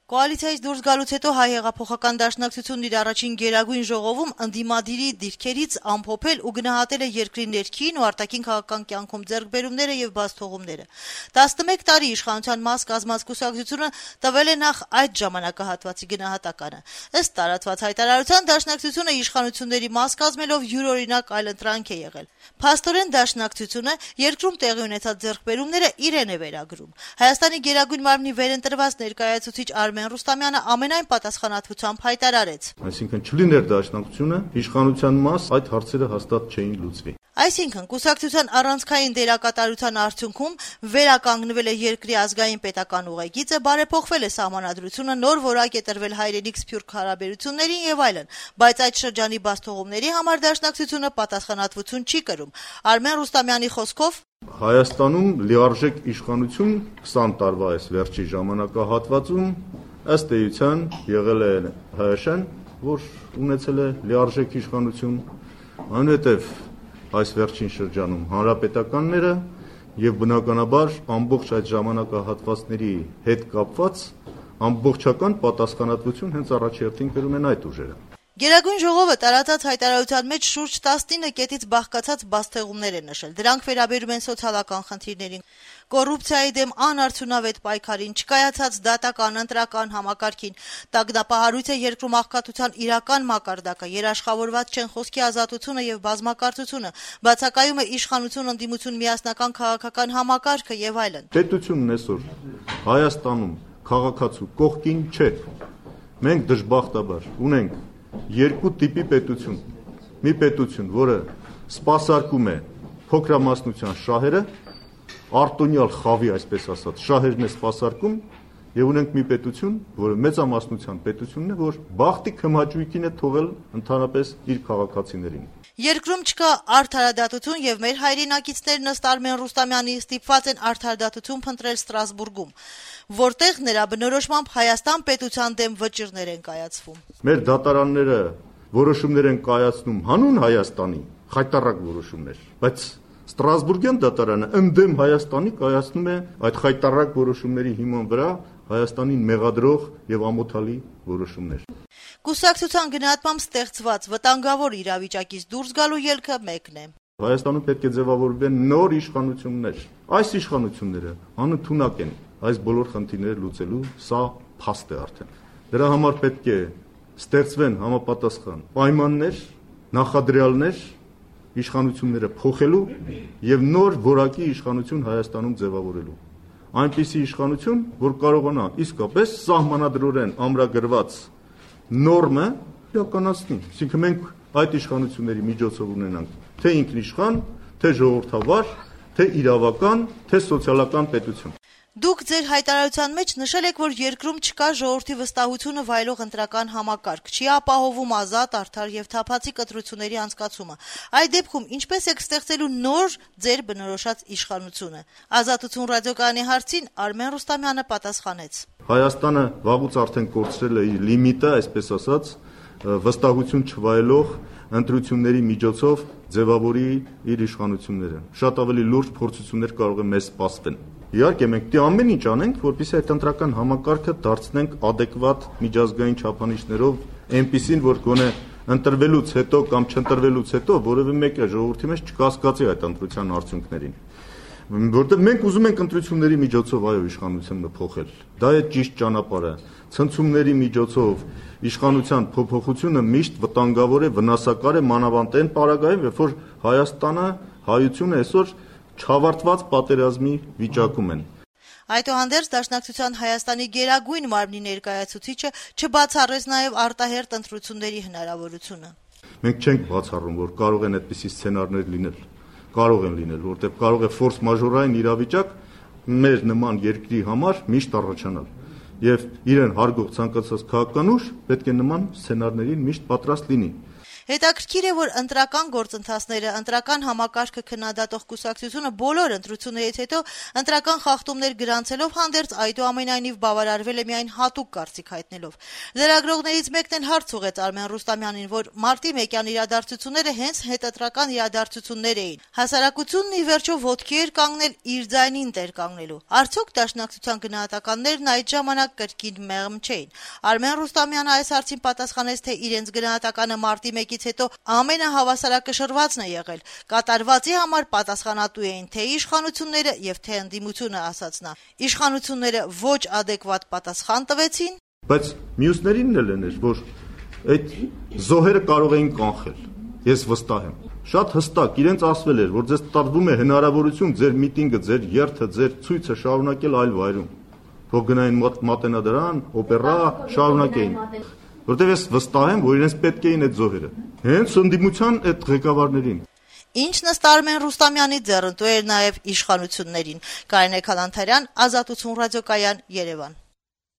Կոալիցիայից դուրս գալուց հետո Հայ հեղափոխական դաշնակցությունն իր առաջին գերագույն ժողովում ընդդիմադիրի դիրքերից ամփոփել ու գնահատել է երկրի ներքին ու արտաքին քաղաքական կյանքում ձեռքբերումները եւ բացթողումները։ 11 տարի իշխանության մաս կազմած կուսակցությունը տվել է նախ այդ ժամանակահատվածի գնահատականը։ Ըստ տարածված հայտարարության դաշնակցությունը իշխանությունների մաս կազմելով յուրօրինակ այլընտրանք է եղել։ Փաստորեն դաշնակցությունը երկրում տեղի ունեցած ձեռքբերումները իրեն է վերագրում։ Հայաստանի գերագույն մարմնի վերընտրված ներկայացուցիչ Արմեն Ռուստամյանը ամենայն պատասխանատվությամբ հայտարարեց. Այսինքն չլիներ դաշնակցությունը, իշխանության մաս այդ հարցերը հաստատ չէին լուծվի։ Այսինքն կուսակցության առանցքային դերակատարության արդյունքում վերականգնվել է երկրի ազգային պետական ուղեգիծը, բարեփոխվել է սահմանադրությունը, նոր որակ է տրվել հայրենիք սփյուռք հարաբերություններին եւ այլն, բայց այդ շրջանի բացթողումների համար դաշնակցությունը պատասխանատվություն չի կրում։ Արմեն Ռուստամյանի խոսքով Հայաստանում լիարժեք իշխանություն 20 տարվա այս վերջի ժամանակահատվածում ըստ էության եղել է ՀՀՇ-ն, որ ունեցել է լիարժեք իշխանություն, այնուհետև այս վերջին շրջանում հանրապետականները եւ բնականաբար ամբողջ այդ ժամանակահատվածների հետ կապված ամբողջական պատասխանատվություն հենց առաջերտին կրում են այդ ուժերը։ Գերագույն ժողովը տարածած հայտարարության մեջ շուրջ 19 կետից բաղկացած բացթեղումներ է նշել։ Դրանք վերաբերում են սոցիալական խնդիրներին, կոռուպցիայի դեմ անարդյունավետ պայքարին, չկայացած դատական ընտրական համակարգին, տագնապահարույց է երկրում աղքատության իրական մակարդակը, երաշխավորված չեն խոսքի ազատությունը եւ բազմակարծությունը, բացակայում է իշխանություն ընդդիմություն միասնական քաղաքական համակարգը եւ այլն։ Պետությունն այսօր Հայաստանում քաղաքացու կողքին չէ։ Մենք դժբախտաբար ունենք երկու տիպի պետություն։ Մի պետություն, որը սպասարկում է փոքրամասնության շահերը, արտոնյալ խավի, այսպես ասած, շահերն է սպասարկում, եւ ունենք մի պետություն, որը մեծամասնության պետությունն է, որ բախտի քմաճույքին է թողել ընդհանրապես իր քաղաքացիներին։ Երկրում չկա արդարադատություն եւ մեր հայրենակիցներն ըստ Արմեն Ռուստամյանի ստիպված են արդարադատություն փնտրել Ստրասբուրգում, որտեղ նրա բնորոշմամբ Հայաստան պետության դեմ վճիռներ են կայացվում։ Մեր դատարանները որոշումներ են կայացնում հանուն Հայաստանի, խայտառակ որոշումներ, բայց Ստրասբուրգյան դատարանը ընդդեմ Հայաստանի կայացնում է այդ խայտառակ որոշումների հիման վրա Հայաստանին մեղադրող եւ ամոթալի որոշումներ։ Կուսակցության գնահատմամբ ստեղծված վտանգավոր իրավիճակից դուրս գալու ելքը մեկն է։ Հայաստանում պետք է ձևավորվեն նոր իշխանություններ։ Այս իշխանությունները անընդունակ են այս բոլոր խնդիրները լուծելու, սա փաստ է արդեն։ Դրա համար պետք է ստեղծվեն համապատասխան պայմաններ, նախադրյալներ իշխանությունները փոխելու եւ նոր որակի իշխանություն Հայաստանում ձևավորելու։ Այնպիսի իշխանություն, որ կարողանա իսկապես սահմանադրորեն ամրագրված նորմը իրականացնի։ Այսինքն մենք այդ իշխանությունների միջոցով ունենանք թե ինքնիշխան, թե ժողովրդավար, թե իրավական, թե սոցիալական պետություն։ Դուք ձեր հայտարարության մեջ նշել եք, որ երկրում չկա ժողովրդի վստահությունը վայելող ընտրական համակարգ, չի ապահովում ազատ, արդար եւ թափանցիկ ընտրությունների անցկացումը։ Այդ դեպքում ինչպես եք ստեղծելու նոր ձեր բնորոշած իշխանությունը։ Ազատություն ռադիոկայանի հարցին Արմեն Ռուստամյանը պատասխանեց. Հայաստանը վաղուց արդեն կորցրել է իր լիմիտը, այսպես ասած, վստահություն չվայելող ընտրությունների միջոցով ձևավորի իր իշխանությունները։ Շատ ավելի լուրջ փորձություններ կարող է մեզ սպասվեն։ Իհարկե մենք դե ամեն ինչ անենք, որպեսզի այդ ընտրական համակարգը դարձնենք adekvat միջազգային չափանիշներով, այնպիսին, որ գոնե ընտրվելուց հետո կամ չընտրվելուց հետո որևէ մեկը ժողովրդի մեջ չկասկածի այդ ընտրության արդյունքներին։ Որտեղ մենք ուզում ենք ընտրությունների միջոցով այո իշխանությունը փոխել։ Դա է ճիշտ ճանապարհը։ Ցնցումների միջոցով իշխանության փոփոխությունը միշտ վտանգավոր է, վնասակար է մանավանդ այն պարագայում, երբ որ Հայաստանը, հայությունը այսօր չավարտված պատերազմի վիճակում են։ Այդուհանդերձ Դաշնակցության Հայաստանի գերագույն մարմնի ներկայացուցիչը չբացառեց նաև արտահերթ ընտրությունների հնարավորությունը։ Մենք չենք բացառում, որ կարող են այդպիսի սցենարներ լինել, կարող են լինել, որտեղ կարող է ֆորս մաժորային իրավիճակ մեր նման երկրի համար միշտ առաջանալ։ Եվ իրեն հարգող ցանկացած քաղաքական ուժ պետք է նման սցենարներին միշտ պատրաստ լինի։ Հետաքրքիր է, որ ընտրական գործընթացները, ընտրական համակարգը քննադատող կուսակցությունը բոլոր ընտրություններից հետո ընտրական խախտումներ գրանցելով հանդերձ այդուամենայնիվ բավարարվել է միայն հատուկ կարծիք հայտնելով։ Լրագրողներից մեկն էլ հարց ուղղեց Արմեն Ռուստամյանին, որ մարտի 1-յան իրադարձությունները հենց հետընտրական իրադարձություններ էին։ Հասարակությունն ի վերջո ոտքի էր կանգնել իր ձայնին տեր կանգնելու։ Արդյոք դաշնակցության գնահատականներն այդ ժամանակ կրկին մեղմ չէին։ Արմեն Ռուստամյանը այս հարցին պատասխանեց, թե իրենց գնահատականը մարտի 1-ից հետո ամենահավասարակշռվածն է եղել։ Կատարվածի համար պատասխանատու էին թե իշխանությունները եւ թե ընդդիմությունը, ասաց նա։ Իշխանությունները ոչ ադեկվատ պատասխան տվեցին, բայց մյուսներին էլ էր, որ այդ զոհերը կարող էին կանխել։ Ես վստահ եմ։ Շատ հստակ իրենց ասվել էր, որ ձեզ տրվում է հնարավորություն ձեր միտինգը, ձեր երթը, ձեր ցույցը շարունակել այլ վայրում։ Թող գնային Մատենադարան, օպերա, շարունակեին։ Որտեւ ես վստահ եմ, որ իրենց պետք էին այդ զոհերը։ Հենց ընդդիմության այդ ղեկավարներին։ Ինչն ըստ Արմեն Ռուստամյանի ձեռնտու էր նաև իշխանություններին։ Կարինե Քալանթարյան, Ազատություն ռադիոկայան, Երևան։